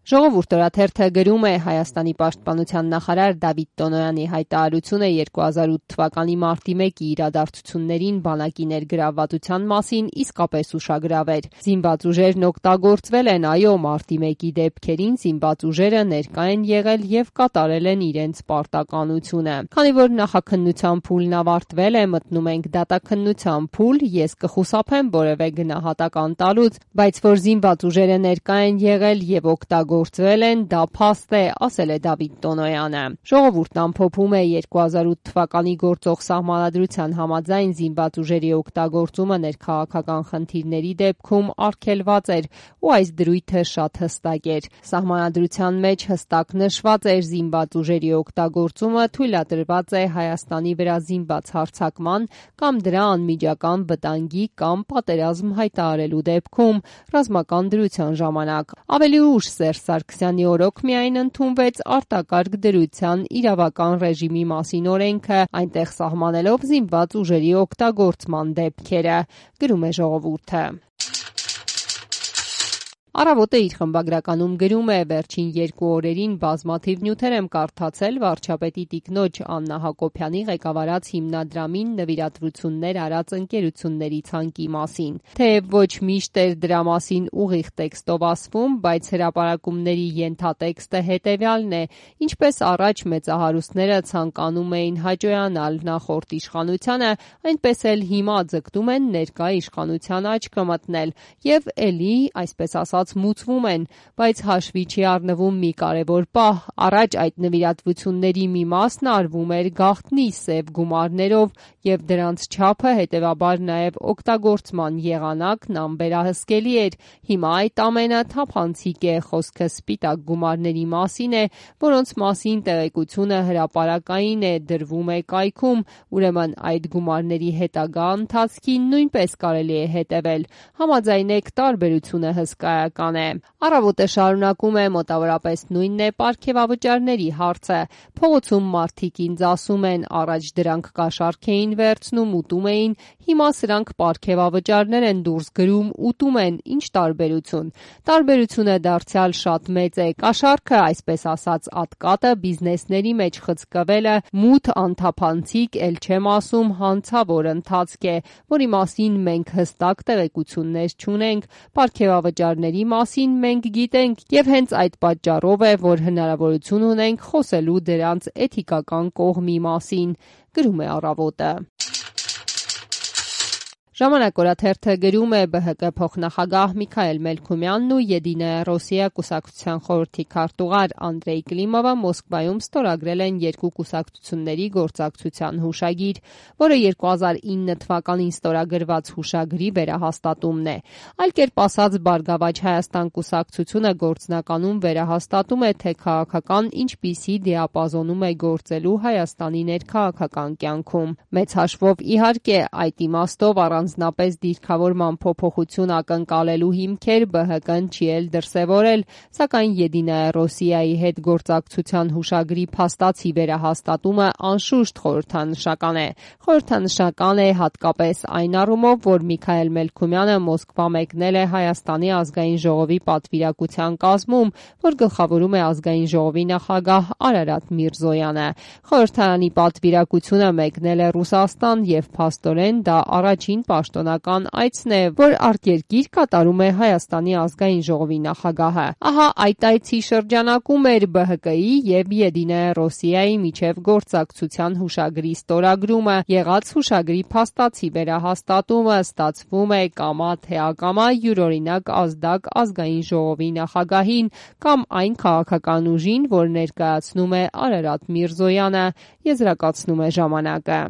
Ժողովուրդ օրաթերթը գրում է Հայաստանի պաշտպանության նախարար Դավիթ Տոնոյանի հայտարարությունը 2008 թվականի մարտի 1-ի իրադարձություններին բանակի ներգրավվածության մասին իսկապես ուշագրավ էր։ Զինված ուժերն օգտագործվել են, այո, մարտի 1-ի դեպքերին զինված ուժերը ներկա են եղել եւ կատարել են իրենց պարտականությունը։ Քանի որ նախաքննության փուլն ավարտվել է, մտնում ենք դատաքննության փուլ, ես կխուսափեմ որևէ գնահատական տալուց, բայց որ զինված ուժերը ներկա են եղել եւ գործվել են, դա փաստ է, ասել է Դավիթ Տոնոյանը։ Ժողովուրդն ամփոփում է 2008 թվականի գործող սահմանադրության համաձայն զինված ուժերի օգտագործումը ներքաղաքական խնդիրների դեպքում արգելված էր ու այս դրույթը շատ հստակ էր։ Սահմանադրության մեջ հստակ նշված էր զինված ուժերի օգտագործումը թույլատրված է Հայաստանի վրա զինված հարձակման կամ դրա անմիջական վտանգի կամ պատերազմ հայտարարելու դեպքում ռազմական դրության ժամանակ։ Ավելի ուշ Սերժ Սարգսյանի օրոք միայն ընդունվեց արտակարգ դրության իրավական ռեժիմի մասին օրենքը, այնտեղ սահմանելով զինված ուժերի օգտագործման դեպքերը, գրում է Ժողովուրդը։ Առավոտը իր խմբագրականում գրում է. վերջին 2 օրերին բազմաթիվ նյութեր եմ կարդացել վարչապետի տիկնոջ Աննա Հակոբյանի ղեկավարած հիմնադրամին նվիրատվություններ արած ընկերությունների ցանկի մասին։ Թեև ոչ միշտ էր դրա մասին ուղիղ տեքստով ասվում, բայց հրապարակումների ենթատեքստը հետևյալն է. ինչպես առաջ մեծահարուստները ցանկանում էին հաճոյանալ նախորդ իշխանությանը, այնպես էլ հիմա ձգտում են ներկա իշխանության աչքը մտնել եւ էլի, այսպես ասած, մուծվում են, բայց հաշվի չի առնվում մի կարևոր պահ. առաջ այդ նվիրատվությունների մի մասն արվում էր գաղտնի սև գումարներով եւ դրանց չափը հետեւաբար նաեւ օգտագործման եղանակն անվերահսկելի էր։ Հիմա այդ ամենը թափանցիկ է, խոսքը սպիտակ գումարների մասին է, որոնց մասին տեղեկությունը հրապարակային է, դրվում է կայքում, ուրեմն այդ գումարների հետագա ընթացքին նույնպես կարելի է հետևել։ Համաձայնեք, տարբերությունը հսկայական է։ Առավոտը շարունակում է, մոտավորապես նույնն է պարգևավճարների հարցը։ Փողոցում մարդիկ ինձ ասում են, առաջ դրանք կաշառք էին վերցնում, ուտում էին, հիմա սրանք պարգևավճարներ են դուրս գրում, ուտում են, ինչ տարբերություն։ Տարբերությունը դարձյալ շատ մեծ է։ Կաշառքը, այսպես ասած, ատկատը բիզնեսների մեջ խցկվելը մութ անթափանցիկ, էլ չեմ ասում հանցավոր ընթացք է, որի մասին մենք հստակ տեղեկություններ չունենք, պարգևավճարների մասին մենք գիտենք եւ հենց այդ պատճառով է, որ հնարավորություն ունենք խոսելու դրանց էթիկական կողմի մասին, գրում է Առավոտը։ Ժամանակ օրաթերթը գրում է. ԲՀԿ փոխնախագահ Միքայել Մելքումյանն ու Եդինայա Ռոսիա կուսակցության խորհրդի քարտուղար Անդրեյ Կլիմովը Մոսկվայում ստորագրել են երկու կուսակցությունների գործակցության հուշագիր, որը 2009 թվականին ստորագրված հուշագրի վերահաստատումն է։ Այլ կերպ ասած, Բարգավաճ Հայաստան կուսակցությունը գործնականում վերահաստատում է, թե քաղաքական ինչպիսի դիապազոնում է գործելու Հայաստանի ներքաղաքական կյանքում։ Մեծ հաշվով, իհարկե, այդ իմաստով առանձնապես դիրքավորման փոփոխություն ակնկալելու հիմքեր ԲՀԿ-ն չի էլ դրսևորել, սակայն Եդինայա Ռոսիայի հետ գործակցության հուշագրի փաստացի վերահաստատումը անշուշտ խորհրդանշական է։ Խորհրդանշական է հատկապես այն առումով, որ Միքայել Մելքումյանը Մոսկվա մեկնել է Հայաստանի ազգային ժողովի պատվիրակության կազմում, որ գլխավորում է ազգային ժողովի նախագահ Արարատ Միրզոյանը։ Խորհրդարանի պատվիրակությունը մեկնել է Ռուսաստան եւ փաստորեն դա առաջին պաշտոնական այցն է, որ արտերկիր կատարում է Հայաստանի ազգային ժողովի նախագահը։ Ահա այդ այցի շրջանակում էր ԲՀԿ-ի եւ Եդինայա Ռոսիայի միջև գործակցության հուշագրի ստորագրումը, եղած հուշագրի փաստացի վերահաստատումը, ստացվում է կամա թե ակամա յուրօրինակ ազդակ ազգային ժողովի նախագահին կամ այն քաղաքական ուժին, որ ներկայացնում է Արարատ Միրզոյանը, եզրակացնում է ժամանակը։